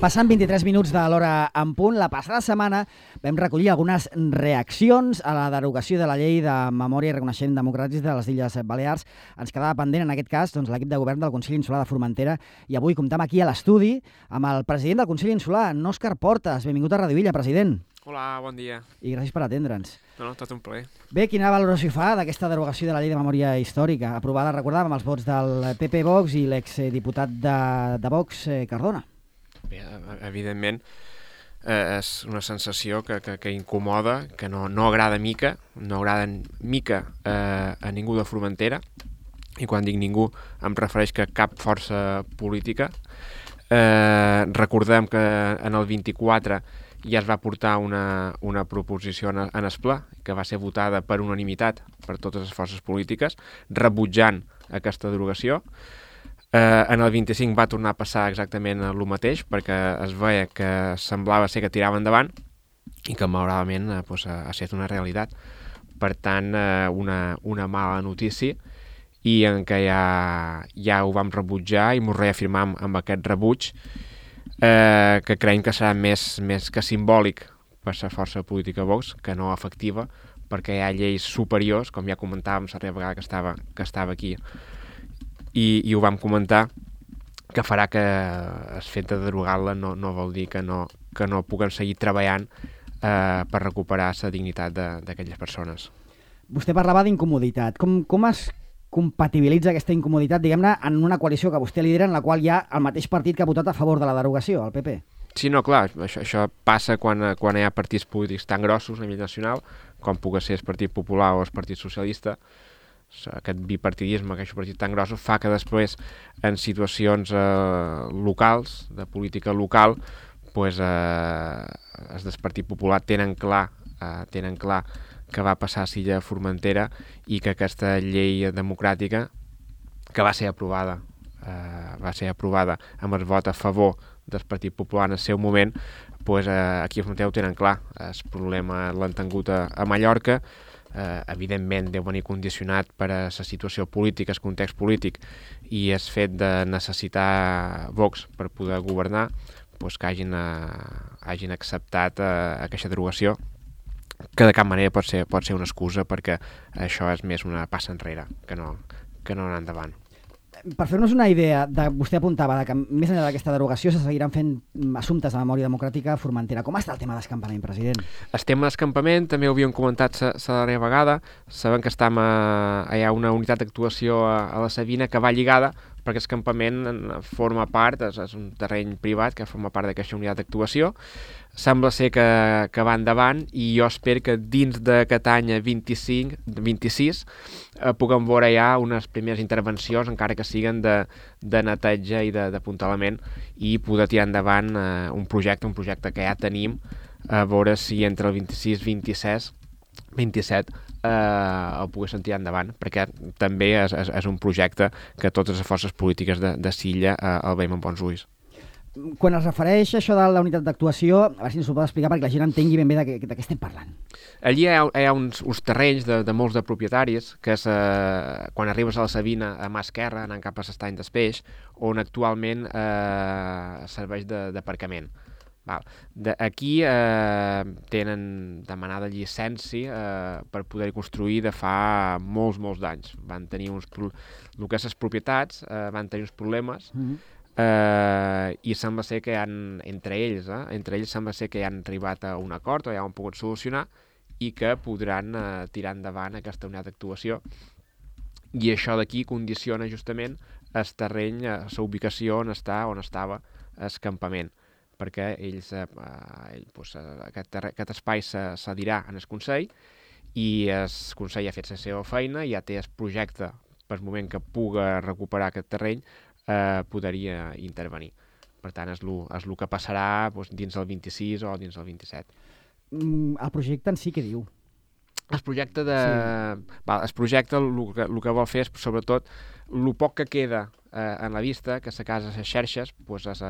Passant 23 minuts de l'hora en punt, la passada setmana vam recollir algunes reaccions a la derogació de la llei de memòria i reconeixement democràtics de les Illes Balears. Ens quedava pendent, en aquest cas, l'equip de govern del Consell Insular de Formentera, i avui comptem aquí a l'estudi amb el president del Consell Insular, en Òscar Portas. Benvingut a Radio Illa, president. Hola, bon dia. I gràcies per atendre'ns. No, tot un plaer. Bé, quina valoració fa d'aquesta derogació de la llei de memòria històrica, aprovada, recordàvem, amb els vots del PP Vox i l'exdiputat de Vox, Cardona? Bé, evidentment, és una sensació que incomoda, que no agrada mica, no agrada mica a ningú de Formentera, i quan dic ningú em refereix que cap força política. Recordem que en el 24 ja es va portar una proposició en el ple, que va ser votada per unanimitat per totes les forces polítiques, rebutjant aquesta derogació. En el 25 va tornar a passar exactament el mateix, perquè es veia que semblava ser que tirava endavant i que malauradament ha estat una realitat. Per tant, una mala notícia, i en què ja ho vam rebutjar i ens reafirmam amb aquest rebuig, que creiem que serà més que simbòlic per la força política Vox que no efectiva, perquè hi ha lleis superiors, com ja comentàvem la vegada que estava aquí, i ho vam comentar, que farà que el fet de derogar-la no vol dir que no puguen seguir treballant per recuperar la dignitat d'aquelles persones. Vostè parlava d'incomoditat. Com es compatibilitza aquesta incomoditat, diguem-ne, en una coalició que vostè lidera, en la qual hi ha el mateix partit que ha votat a favor de la derogació, el PP? Sí, no, clar, això passa quan hi ha partits polítics tan grossos a nivell nacional, com pugui ser el Partit Popular o el Partit Socialista. Aquest bipartidisme, aquest partit tan grossos, fa que després, en situacions locals, de política local, els del Partit Popular tenen clar que va passar a l'illa de Formentera, i que aquesta llei democràtica, que va ser aprovada amb el vot a favor del Partit Popular en el seu moment, aquí a Formentera ho tenen clar. El problema l'han tingut a Mallorca. Evidentment deu venir condicionat per a la situació política, el context polític, i el fet de necessitar Vox per poder governar, que hagin acceptat aquesta derogació, que de cap manera pot ser una excusa, perquè això és més una passa enrere que no anar endavant. Per fer-nos una idea, vostè apuntava que més enllà d'aquesta derogació se seguiran fent assumptes de memòria democràtica a Formentera. Com està el tema d'escampament, president? El tema d'escampament també ho havíem comentat la darrera vegada. Sabem que hi ha una unitat d'actuació a la Sabina que va lligada, perquè l'escampament forma part, és un terreny privat que forma part d'aquesta unitat d'actuació. Sembla ser que va endavant, i jo espero que dins d'aquest any 26 puguem veure ja unes primeres intervencions, encara que siguen de neteja i d'apuntalament, i poder tirar endavant un projecte que ja tenim, a veure si entre el 26 i 27 el poguéssim tirar endavant, perquè també és un projecte que totes les forces polítiques de Silla el veiem amb bons ulls. Quan es refereix a això de la unitat d'actuació, a veure si ens ho pot explicar perquè la gent entengui ben bé de què estem parlant. Allí hi ha uns terrenys de molts de propietaris, que és quan arribes a la Sabina, a mà esquerra, anant cap a l'estany del Peix, on actualment serveix d'aparcament. Aquí tenen demanada llicència per poder construir de fa molts d'anys. Van tenir el que és les propietats, van tenir uns problemes, i sembla ser que entre ells sembla ser que ja han arribat a un acord, o ja ho han pogut solucionar, i que podran tirar endavant aquesta unitat d'actuació. I això d'aquí condiciona justament el terreny, la ubicació on estava el campament, perquè aquest espai cedirà en el Consell, i el Consell ha fet la seva feina, ja té el projecte per el moment que puga recuperar aquest terreny, podria intervenir. Per tant, és el que passarà dins del 26 o dins del 27. El projecte en si què diu? El projecte el que vol fer és, sobretot, el poc que queda en la vista que la casa, les xerxes, pues, és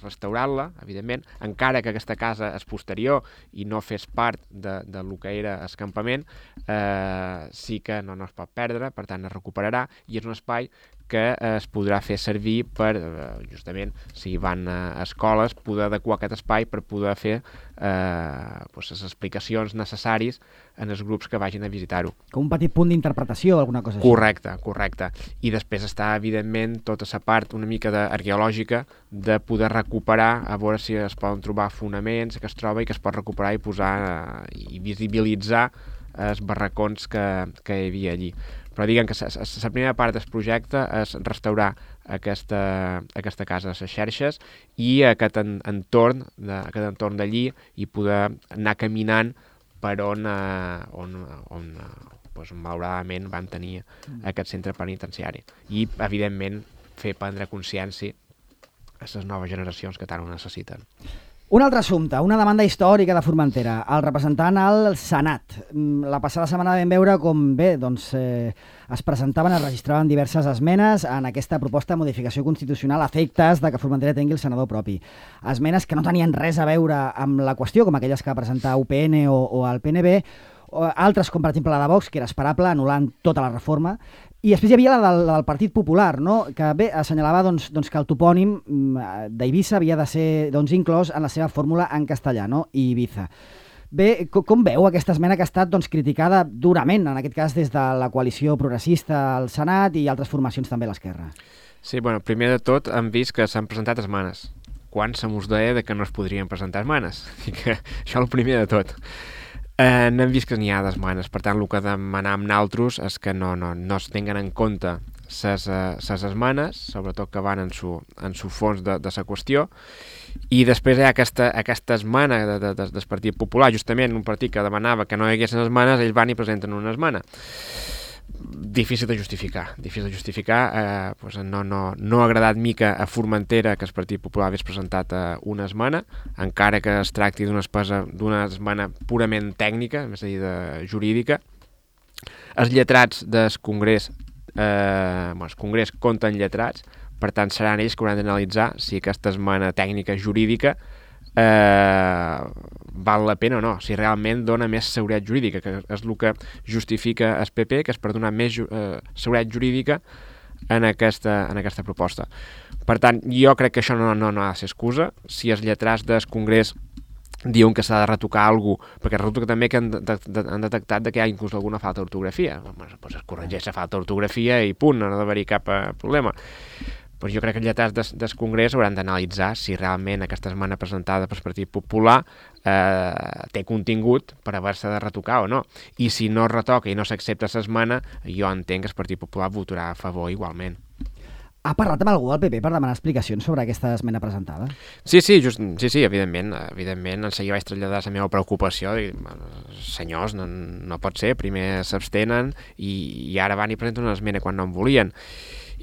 restaurar-la, evidentment, encara que aquesta casa és posterior i no fes part de lo que era el campament, sí que no es pot perdre, per tant es recuperarà, i és un espai que es podrà fer servir per, justament, si van a escoles, poder adequar aquest espai per poder fer les explicacions necessàries en els grups que vagin a visitar-ho. Com un petit punt d'interpretació o alguna cosa així. Correcte. I després està, evidentment, tota la part una mica arqueològica de poder recuperar, a veure si es poden trobar fonaments que es troba i que es pot recuperar i posar i visibilitzar els barracons que hi havia allí. Però diguem que la primera part del projecte és restaurar aquesta casa de les xerxes i aquest entorn d'allí i poder anar caminant per on malauradament van tenir aquest centre penitenciari. I, evidentment, fer prendre consciència a les noves generacions que tant ho necessiten. Un altre assumpte, una demanda històrica de Formentera, el representant al Senat. La passada setmana vam veure com es presentaven, es registraven diverses esmenes en aquesta proposta de modificació constitucional a efectes de que Formentera tingui el senador propi. Esmenes que no tenien res a veure amb la qüestió, com aquelles que va presentar UPN o el PNB, altres com per exemple la de Vox, que era esperable, anul·lant tota la reforma, i després hi havia la del Partit Popular, no? Que bé assenyalava que el topònim d'Eivissa havia de ser inclòs en la seva fórmula en castellà, no? Ibiza. Bé, com veu aquesta esmena que ha estat criticada durament, en aquest cas des de la coalició progressista al Senat i altres formacions també a l'esquerra? Sí, bueno, primer de tot hem vist que s'han presentat esmenes, quan se mos deia que no es podrien presentar esmenes. Això el primer de tot. N'hem vist que n'hi ha d'esmenes, per tant, el que demanam nosaltres és que no es tinguen en compte les esmenes, sobretot que van en su fons de la qüestió, i després hi ha aquesta esmena del Partit Popular, justament un partit que demanava que no hi haguessin esmenes, ells van i presenten una esmena. Difícil de justificar. No ha agradat mica a Formentera que el Partit Popular hagués presentat una esmena, encara que es tracti d'una esmena purament tècnica, és a dir, jurídica. Els lletrats del Congrés, el Congrés compten lletrats, per tant seran ells que hauran d'analitzar si aquesta esmena tècnica jurídica val la pena o no, si realment dona més seguretat jurídica, que és el que justifica el PP, que és per donar més seguretat jurídica en aquesta proposta. Per tant, jo crec que això no ha de ser excusa. Si els lletrats del Congrés diuen que s'ha de retocar alguna cosa, perquè resulta que també que han detectat que hi ha inclús alguna falta d'ortografia. Doncs es corregeix la falta d'ortografia i punt, no ha d'haver-hi cap problema. Però jo crec que els lletrats del Congrés hauran d'analitzar si realment aquesta esmena presentada pel Partit Popular té contingut per haver-se de retocar o no. I si no es retoca i no s'accepta l'esmena, jo entenc que el Partit Popular votarà a favor igualment. Ha parlat amb algú del PP per demanar explicacions sobre aquesta esmena presentada? Sí, evidentment. En seguida vaig traslladar la meva preocupació. Senyors, no pot ser, primer s'abstenen i ara van i presenten una esmena quan no en volien.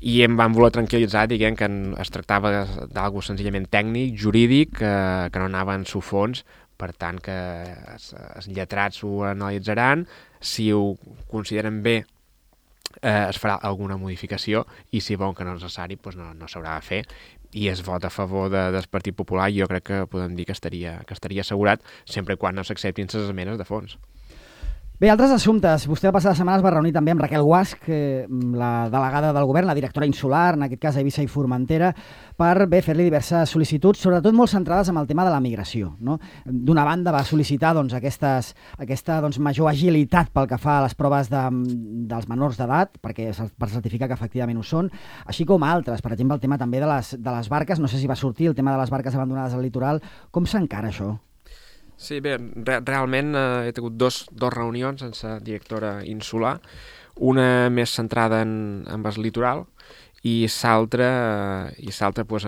I em van voler tranquil·litzar dient que es tractava d'algú senzillament tècnic, jurídic, que no anava en su fons, per tant que els lletrats ho analitzaran, si ho consideren bé es farà alguna modificació i si veuen que no és necessari no s'haurà de fer, i es vot a favor del Partit Popular. Jo crec que podem dir que estaria assegurat sempre quan no s'acceptin les esmenes de fons. Bé, altres assumptes. Vostè la passada setmana es va reunir també amb Raquel Guasch, la delegada del govern, la directora insular, en aquest cas a Eivissa i Formentera, per fer-li diverses sol·licituds, sobretot molt centrades en el tema de la migració, no? D'una banda va sol·licitar aquesta major agilitat pel que fa a les proves dels menors d'edat, per certificar que efectivament ho són, així com altres, per exemple el tema també de les barques, no sé si va sortir el tema de les barques abandonades al litoral. Com s'encara això? Sí, bé, realment he tingut dos reunions amb la directora insular, una més centrada en el litoral i l'altra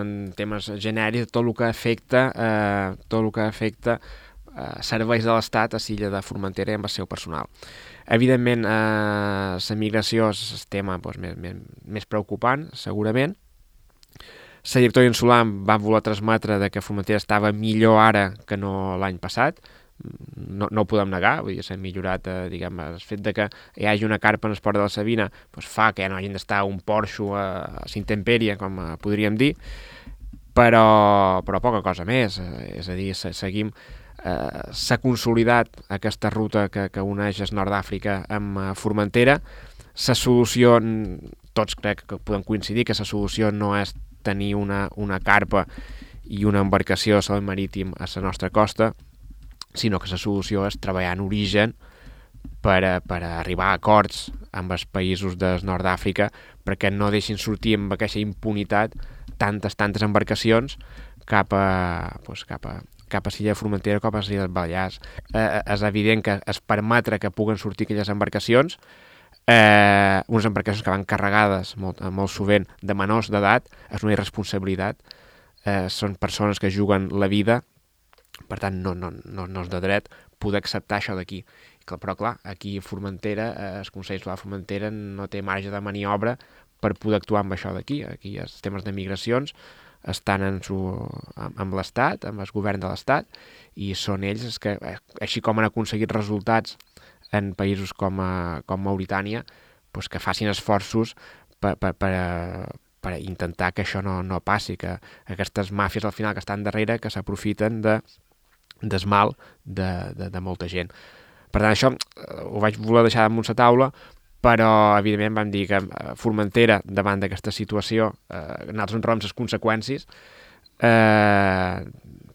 en temes genèrics, tot el que afecta serveis de l'Estat a l'illa de Formentera i amb el seu personal. Evidentment, la migració és el tema més preocupant, segurament. La directora insular va voler transmetre que Formentera estava millor ara que no l'any passat. no ho podem negar, vull dir, s'ha millorat, diguem, el fet de que hi hagi una carpa en el port de la Sabina doncs fa que ja no hagin d'estar un porxo a s'intempèrie, com podríem dir, però poca cosa més, és a dir, seguim, s'ha consolidat aquesta ruta que uneix el nord d'Àfrica amb Formentera. La solució, tots crec que podem coincidir que la solució no és tenir una carpa i una embarcació a sòl marítim a la nostra costa, sinó que la solució és treballar en origen per arribar a acords amb els països del nord d'Àfrica perquè no deixin sortir amb aquesta impunitat tantes embarcacions cap a l'illa de Formentera, cap a l'illa dels Balears. És evident que es permetre que puguen sortir aquelles embarcacions, unes embarcacions que van carregades molt sovint de menors d'edat, és una irresponsabilitat. Són persones que juguen la vida, per tant no és de dret poder acceptar això d'aquí. Però clar, aquí a Formentera, el Consell Insular de Formentera no té marge de maniobra per poder actuar amb això d'aquí. Aquí els temes de migracions estan amb l'Estat, amb el govern de l'Estat, i són ells els que, així com han aconseguit resultats en països com Mauritània, doncs que facin esforços per intentar que això no passi, que aquestes màfies al final que estan darrere que s'aprofiten del mal de molta gent. Per tant, això ho vaig voler deixar damunt la taula, però evidentment vam dir que Formentera, davant d'aquesta situació, nosaltres en trobem les conseqüències,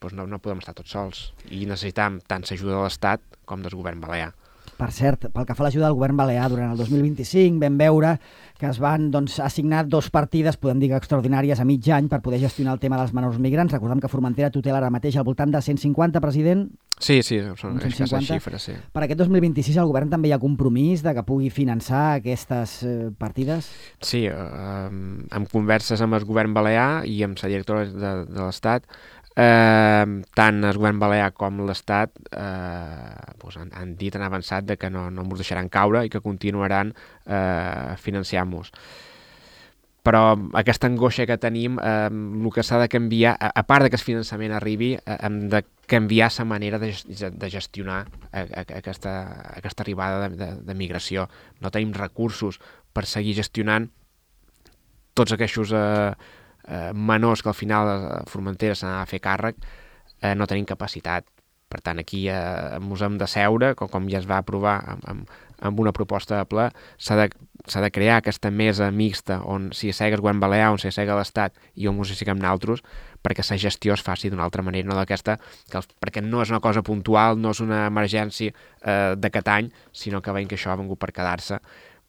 doncs no podem estar tots sols i necessitam tant l'ajuda de l'Estat com del govern balear. Per cert, pel que fa a l'ajuda del govern balear durant el 2025 vam veure que es van assignar 2 partides, podem dir que extraordinàries, a mig any per poder gestionar el tema dels menors migrants. Recordem que Formentera tutela ara mateix al voltant de 150, president? Sí, són aquesta xifra, sí. Per aquest 2026 el govern també hi ha compromís de que pugui finançar aquestes partides? Sí, amb converses amb el govern balear i amb la directora de l'Estat, tant el govern balear com l'Estat han dit, han avançat de que no ens deixaran caure i que continuaran financiant-nos. Però aquesta angoixa que tenim, el que s'ha de canviar, a part que el finançament arribi, hem de canviar la manera de gestionar aquesta arribada de migració. No tenim recursos per seguir gestionant tots aquests menors que al final a Formentera se n'ha de fer càrrec, no tenim capacitat. Per tant, aquí ens hem de seure, com ja es va aprovar amb una proposta de ple, s'ha de crear aquesta mesa mixta on s'hi assega el govern balear, on s'hi assega l'Estat i on ens hi asseguem nosaltres, perquè la gestió es faci d'una altra manera, no d'aquesta, perquè no és una cosa puntual, no és una emergència d'aquest any, sinó que veiem que això ha vingut per quedar-se.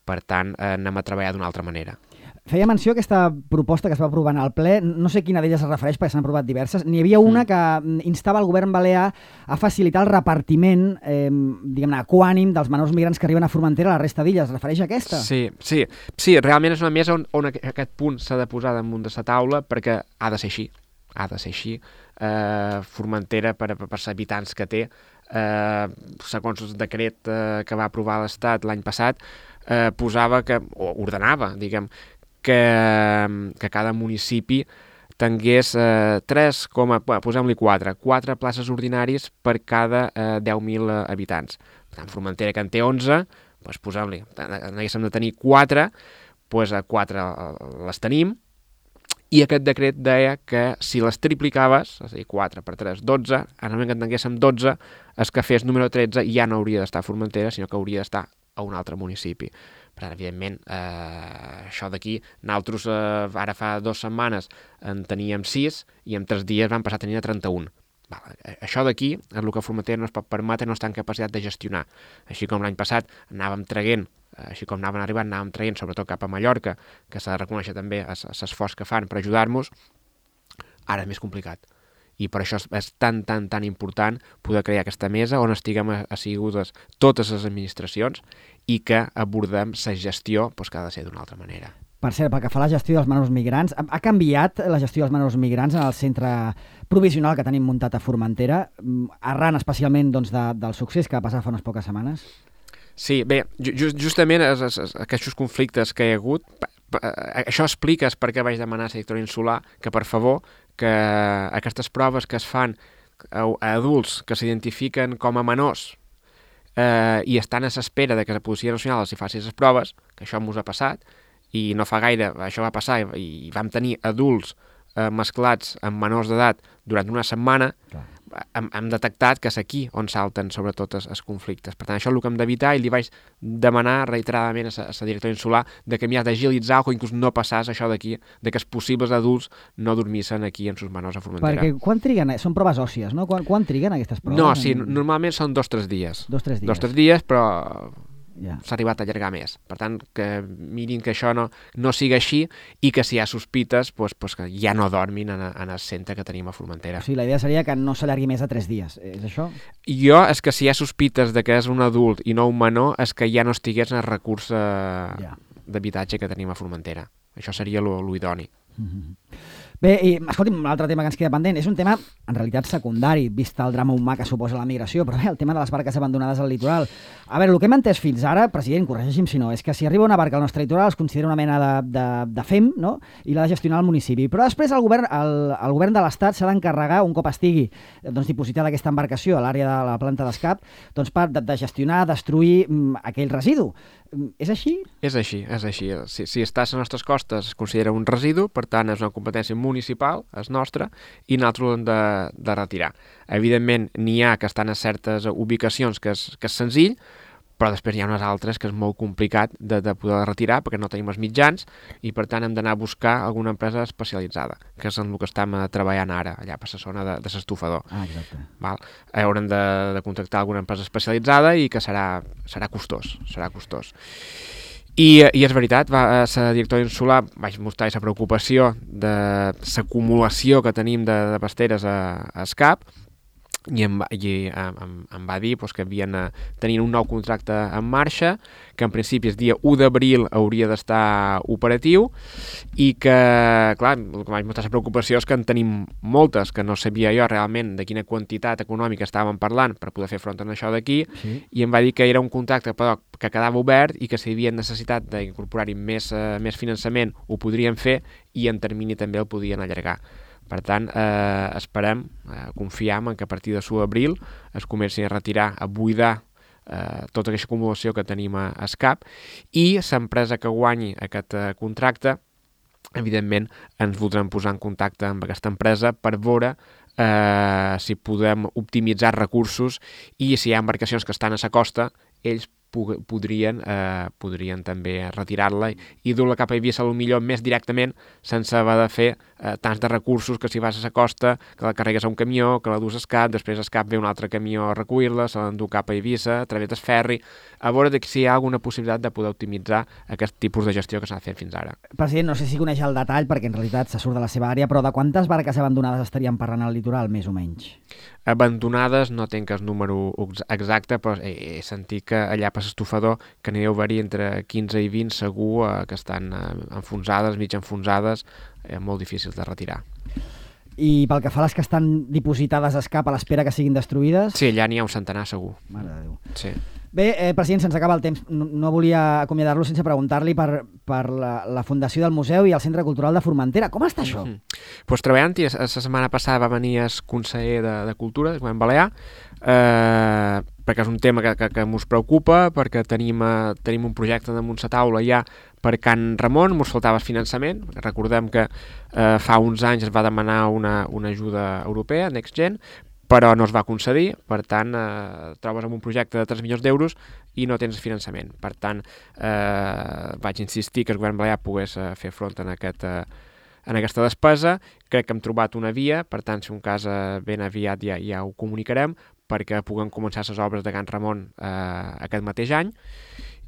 Per tant, anem a treballar d'una altra manera. Feia menció aquesta proposta que es va aprovar al ple, no sé quina d'elles es refereix perquè s'han aprovat diverses. N'hi havia una que instava el govern balear a facilitar el repartiment, diguem-ne, equànim dels menors migrants que arriben a Formentera a la resta d'illes. Es refereix a aquesta? Sí, realment és una mesa on aquest punt s'ha de posar damunt de la taula perquè ha de ser així. Formentera, per els habitants que té, segons el decret que va aprovar l'Estat l'any passat, posava o ordenava, diguem, que cada municipi tingués 4 places ordinàries per cada 10.000 habitants. Per tant, Formentera, que en té 11, doncs posem-li, n'haguéssim de tenir 4, doncs 4 les tenim, i aquest decret deia que si les triplicaves, és a dir, 4 per 3, 12, en el moment que en tinguéssim 12, el que fes número 13 ja no hauria d'estar a Formentera, sinó que hauria d'estar a un altre municipi. Per tant, evidentment, això d'aquí, nosaltres ara fa 2 setmanes en teníem 6 i en 3 dies vam passar a tenir 31. Això d'aquí és el que Formentera no es pot permetre, no està en capacitat de gestionar. Així com l'any passat anàvem traient, així com anaven arribant, anàvem traient sobretot cap a Mallorca, que s'ha de reconèixer també l'esforç que fan per ajudar-nos, ara és més complicat. I per això és tan important poder crear aquesta mesa on estiguem assegudes totes les administracions i que abordem la gestió que ha de ser d'una altra manera. Per cert, pel que fa a la gestió dels menors migrants, ha canviat la gestió dels menors migrants en el centre provisional que tenim muntat a Formentera, arran especialment del succés que va passar fa unes poques setmanes? Sí, bé, justament aquests conflictes que hi ha hagut, això explica per què vaig demanar a la directora insular que, per favor, que aquestes proves que es fan a adults que s'identifiquen com a menors i estan a l'espera de que la Policia Nacional els hi faci les proves, que això ens ha passat, i no fa gaire això va passar i vam tenir adults mesclats amb menors d'edat durant una setmana, hem detectat que és aquí on salten sobretot els conflictes. Per tant, això és el que hem d'evitar i li vaig demanar reiteradament a la directora insular de que m'hi ha d'agilitzar o que inclús no passàs això d'aquí, de que els possibles adults no dormissin aquí amb sus menors a Formentera. Perquè quan triguen? Són proves òssies, no? Quan triguen aquestes proves? No, sí, normalment són 2 o 3 dies. 2 o 3 dies. 2 o 3 dies, però s'ha arribat a allargar més. Per tant, que mirin que això no sigui així i que si hi ha sospites, pues que ja no dormin en el centre que tenim a Formentera. O sigui, la idea seria que no s'allargui més de 3 dies, és això? És que si hi ha sospites de que és un adult i no un menor, és que ja no estigués en el recurs d'habitatge que tenim a Formentera. Això seria l'idoni. Bé, i escolti'm, l'altre tema que ens queda pendent és un tema, en realitat, secundari, vist el drama humà que suposa la migració, però bé, el tema de les barques abandonades al litoral. A veure, el que hem entès fins ara, president, corregeixi'm si no, és que si arriba una barca al nostre litoral es considera una mena de FEM, no?, i l'ha de gestionar el municipi. Però després el govern de l'Estat s'ha d'encarregar, un cop estigui dipositada aquesta embarcació a l'àrea de la planta d'escap, de gestionar, destruir aquell residu. És així? És així. Si està a les nostres costes es considera un residu, per tant és una competència municipal, és nostra, i nosaltres l'hem de retirar. Evidentment n'hi ha que estan a certes ubicacions que és senzill, però després hi ha unes altres que és molt complicat de poder retirar perquè no tenim els mitjans i per tant hem d'anar a buscar alguna empresa especialitzada, que és en el que estem treballant ara, allà per la zona de l'estufador. Exacte. Haurem de contractar alguna empresa especialitzada i que serà costós. I és veritat, la directora insular vaig mostrar la preocupació de l'acumulació que tenim de pasteres a Escap, i em va dir que havien tenint un nou contracte en marxa, que en principi el dia 1 d'abril hauria d'estar operatiu i que, clar, el que vaig mostrar la preocupació és que en tenim moltes, que no sabia jo realment de quina quantitat econòmica estàvem parlant per poder fer front a això d'aquí, i em va dir que era un contracte però que quedava obert i que si hi havia necessitat d'incorporar-hi més finançament ho podrien fer i en termini també el podien allargar. Per tant, esperem, confiem en que a partir de l'1 d'abril es comencin a retirar, a buidar tota aquesta acumulació que tenim a Escap i l'empresa que guanyi aquest contracte, evidentment, ens voldrem posar en contacte amb aquesta empresa per veure si podem optimitzar recursos i si hi ha embarcacions que estan a la costa, ells podrien també retirar-la i dur-la cap a Eivissa potser més directament sense haver de fer tants de recursos que si vas a la costa, que la carregues a un camió, que la dus a Escap, després a Escap ve un altre camió a recollir-la, se l'endú cap a Eivissa, a través del ferri, a veure si hi ha alguna possibilitat de poder optimitzar aquest tipus de gestió que s'ha fet fins ara. President, no sé si coneix el detall, perquè en realitat se surt de la seva àrea, però de quantes barques abandonades estaríem parlant al litoral, més o menys? Abandonades no tinc el número exacte, però he sentit que allà per l'estufador que n'hi deu haver entre 15 i 20 segur que estan enfonsades, mig enfonsades, molt difícils de retirar. I pel que fa a les que estan dipositades a Escap a l'espera que siguin destruïdes? Sí, allà n'hi ha un centenar segur. Mare de Déu. Sí. Bé, president, se'ns acaba el temps. No volia acomiadar-lo sense preguntar-li per la fundació del museu i el Centre Cultural de Formentera. Com està això? Pues treballant-hi, la setmana passada va venir el conseller de Cultura, del Govern Balear, perquè és un tema que ens preocupa, perquè tenim un projecte damunt la taula ja per Can Ramon, ens faltava el finançament. Recordem que fa uns anys es va demanar una ajuda europea, Next Gen, però no es va concedir, per tant, trobes amb un projecte de 3 milions d'euros i no tens finançament. Per tant, vaig insistir que el Govern Balear pogués fer front en aquesta despesa. Crec que hem trobat una via, per tant, si un cas ben aviat ja ho comunicarem, perquè puguem començar les obres de Can Ramon aquest mateix any,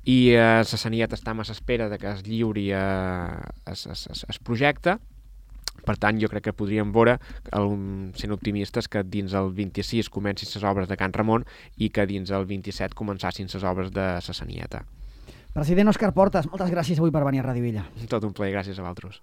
i la Sanitat està a l'espera que es lliuri el projecte. Per tant, jo crec que podríem veure, sent optimistes, que dins el 26 comencin les obres de Can Ramon i que dins el 27 començassin les obres de la Sanitat. President Òscar Portas, moltes gràcies avui per venir a Ràdio Villa. Tot un plaer, gràcies a vosaltres.